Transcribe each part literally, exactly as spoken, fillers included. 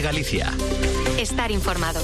Galicia. Estar informado.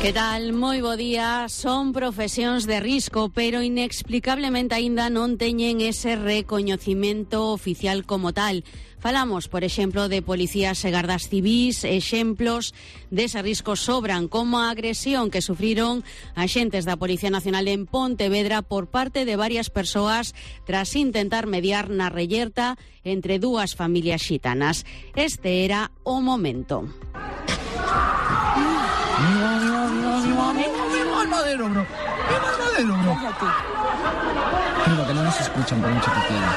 Que tal? Moi bo día. Son profesións de risco, pero inexplicablemente aínda non teñen ese recoñecemento oficial como tal. Falamos, por exemplo, de policías e gardas civís. Exemplos dese risco sobran, como a agresión que sufriron axentes da Policía Nacional en Pontevedra por parte de varias persoas tras intentar mediar na reyerta entre dúas familias xitanas. Este era o momento. Madero, bro. Madero, bro. Digo que non nos escuchan por mucho que quieran.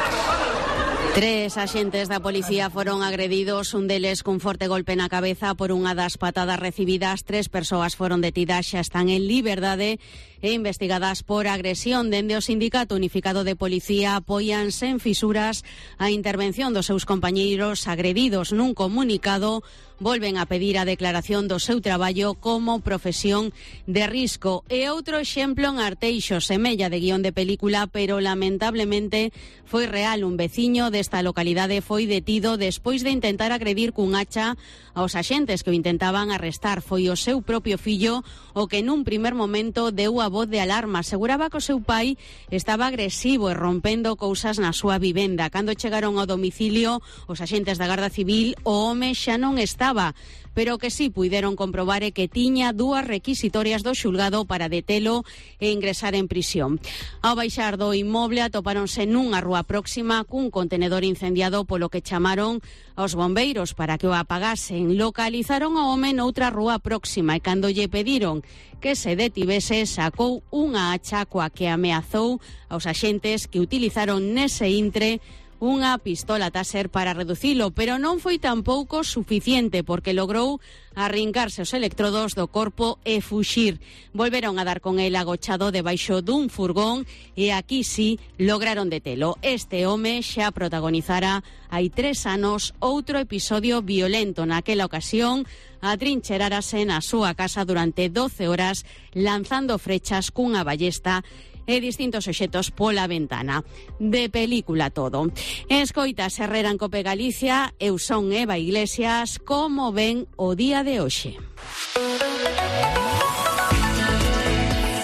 Tres axentes da policía foron agredidos, un deles cun forte golpe na cabeza por unha das patadas recibidas. Tres persoas foron detidas, xa están en liberdade e investigadas por agresión. Dende o Sindicato Unificado de Policía apoian sen fisuras a intervención dos seus compañeiros agredidos. Nun comunicado volven a pedir a declaración do seu traballo como profesión de risco. E outro exemplo en Arteixo, semella de guión de película, pero lamentablemente foi real. Un veciño desta localidade foi detido despois de intentar agredir cun hacha aos axentes que o intentaban arrestar. Foi o seu propio fillo o que nun primer momento deu a voz de alarma. Aseguraba que o seu pai estaba agresivo e rompendo cousas na súa vivenda. Cando chegaron ao domicilio os axentes da Garda Civil, o home xa non estaba, pero que sí puideron comprobar é que tiña dúas requisitorias do xulgado para detelo e ingresar en prisión. Ao baixar do inmoble atopáronse nunha rúa próxima cun contenedor incendiado, polo que chamaron aos bombeiros para que o apagasen. Localizaron ao home noutra rúa próxima e cando lle pediron que se detivese, sacou unha hacha coa que ameazou aos axentes, que utilizaron nese intre unha pistola taser para reducilo, pero non foi tampouco suficiente, porque logrou arrincarse os electrodos do corpo e fuxir. Volveron a dar con el agochado debaixo dun furgón e aquí sí lograron detelo. Este home xa protagonizara hai tres anos outro episodio violento. Naquela ocasión atrincherárase na súa casa durante doce horas lanzando frechas cunha ballesta e distintos obxetos pola ventana. De película todo. Escoitas Herrera en Cope Galicia. Eu son Eva Iglesias. Como ven o día de hoxe?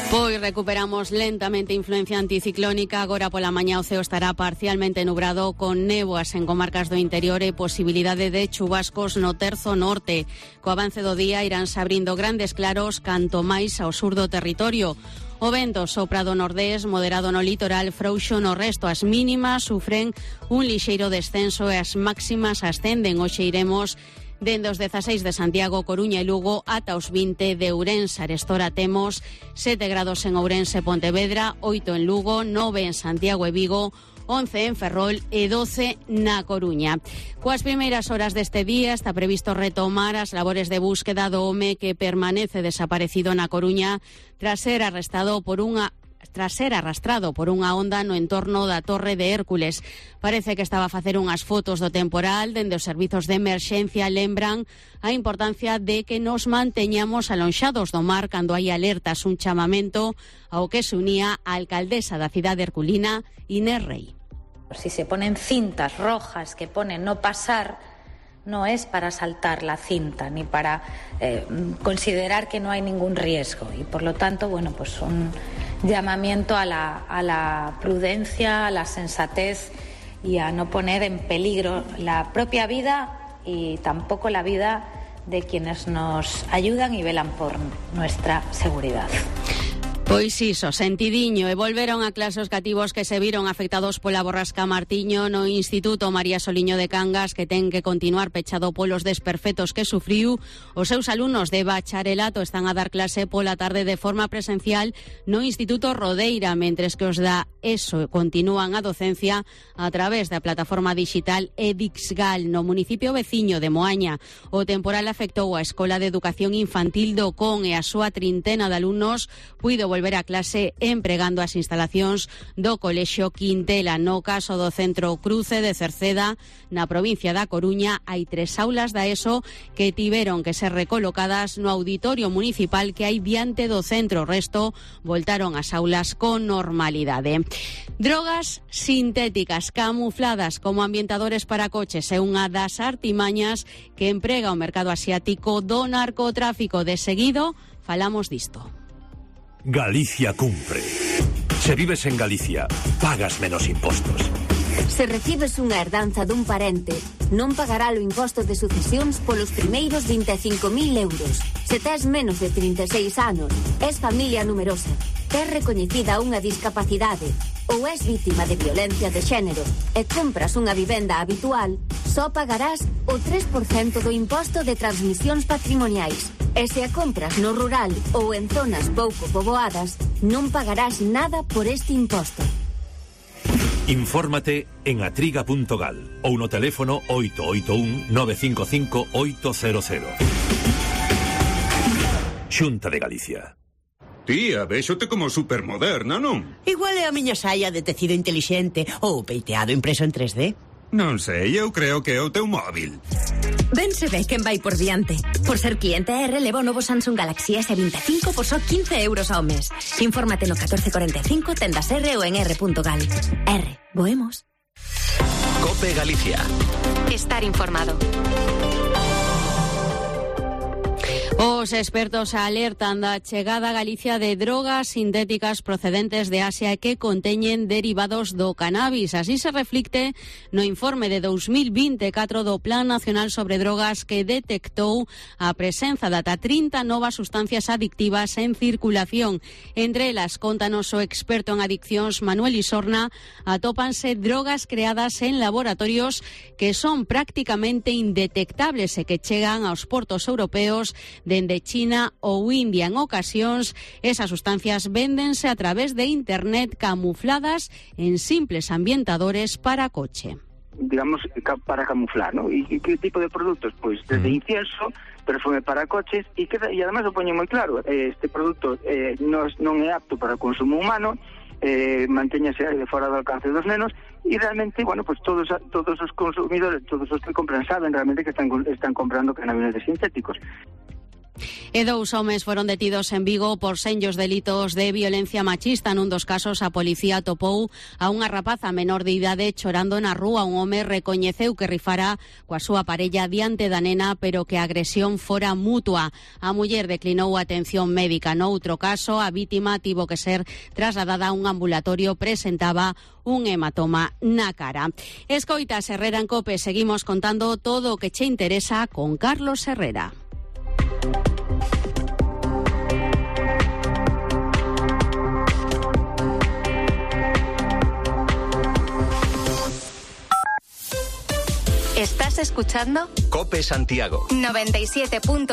Pois recuperamos lentamente influencia anticiclónica. Agora pola mañá o ceo estará parcialmente nubrado con néboas en comarcas do interior e posibilidade de chubascos no terzo norte. Co avance do día iránse abrindo grandes claros canto máis ao sur do territorio. O vento sopra do nordés, moderado no litoral, frouxo no resto. As mínimas sufren un lixeiro descenso e as máximas ascenden. Hoxe iremos dende os dezaseis de Santiago, Coruña e Lugo ata os vinte de Ourense. Arestora temos sete grados en Ourense e Pontevedra, oito en Lugo, nove en Santiago e Vigo, once en Ferrol e doce na Coruña. Coas primeiras horas deste día está previsto retomar as labores de búsqueda do home que permanece desaparecido na Coruña tras ser arrestado por unha tras ser arrastrado por unha onda no entorno da Torre de Hércules. Parece que estaba a facer unhas fotos do temporal. Dende os servizos de emerxencia lembran a importancia de que nos manteñamos alonxados do mar cando hai alertas, un chamamento ao que se unía a alcaldesa da cidade herculina, Inés Rey. Si se ponen cintas rojas que ponen no pasar, no es para saltar la cinta ni para eh, considerar que no hay ningún riesgo, y por lo tanto, bueno, pues un llamamiento a la, a la prudencia, a la sensatez y a no poner en peligro la propia vida y tampoco la vida de quienes nos ayudan y velan por nuestra seguridad. Pois iso, sentidiño, e volveron a clase os cativos que se viron afectados pola borrasca Martiño no Instituto María Soliño de Cangas, que ten que continuar pechado polos desperfectos que sufriu. Os seus alumnos de bacharelato están a dar clase pola tarde de forma presencial no Instituto Rodeira, mentres que os da ESO continúan a docencia a través da plataforma digital Edixgal no municipio veciño de Moaña. O temporal afectou a Escola de Educación Infantil do Con e a súa trintena de alumnos puido volver volver a clase empregando as instalacións do Colexio Quintela. No caso do Centro Cruce de Cerceda, na provincia da Coruña, hai tres aulas da ESO que tiveron que ser recolocadas no auditorio municipal que hai diante do centro. O resto voltaron ás aulas con normalidade. Drogas sintéticas camufladas como ambientadores para coches é unha das artimañas que emprega o mercado asiático do narcotráfico. De seguido, falamos disto. Galicia cumpre. Se vives en Galicia, pagas menos impostos. Se recibes unha herdanza dun parente, non pagará o imposto de sucesións polos primeiros vinte e cinco mil euros. Se tes menos de trinta e seis anos, es familia numerosa, tes recoñecida unha discapacidade ou es vítima de violencia de xénero e compras unha vivenda habitual, só pagarás o tres por cento do imposto de transmisións patrimoniais. E se a compras no rural ou en zonas pouco poboadas, non pagarás nada por este imposto. Infórmate en atriga punto gal ou no teléfono oito oito un nove cinco cinco oito cero cero. Xunta de Galicia. Tía, véxote como supermoderna, non? Igual é a miña saia de tecido intelixente ou peiteado impreso en tres D. Non sei, eu creo que é o teu móvil. Ben se ve quen vai por diante. Por ser cliente R, leva o novo Samsung Galaxy S veinticinco por só quince euros ao mes. Infórmate no catorce cuarenta e cinco, tendas R ou en r punto gal. R, voemos. COPE Galicia. Estar informado. Os expertos alertan da chegada a Galicia de drogas sintéticas procedentes de Asia e que conteñen derivados do cannabis. Así se reflicte no informe de dos mil vinte e catro do Plan Nacional sobre Drogas, que detectou a presenza de ata trinta novas sustancias adictivas en circulación. Entre elas, contanos o experto en adiccións Manuel Isorna, atópanse drogas creadas en laboratorios que son prácticamente indetectables e que chegan aos portos europeos dende China ou India. En ocasións, esas sustancias véndense a través de internet camufladas en simples ambientadores para coche. Digamos, para camuflar, ¿no? ¿Y qué tipo de productos? Pues desde incienso, perfume para coches, y, que, y además lo poñen moi claro, este produto eh, non, non é apto para o consumo humano, eh, mantéñase de fora do alcance dos nenos, e realmente, bueno, pues todos todos os consumidores, todos os que compran saben realmente que están, están comprando cannabinoides sintéticos. E dous homes foron detidos en Vigo por senllos delitos de violencia machista. Nun dos casos, a policía topou a unha rapaza menor de idade chorando na rúa. Un home recoñeceu que rifara coa súa parella diante da nena, pero que a agresión fora mutua. A muller declinou atención médica. Noutro caso, a vítima tivo que ser trasladada a un ambulatorio, presentaba un hematoma na cara. Escoitas Herrera en COPE, seguimos contando todo o que che interesa con Carlos Herrera. ¿Estás escuchando? COPE Santiago noventa y siete punto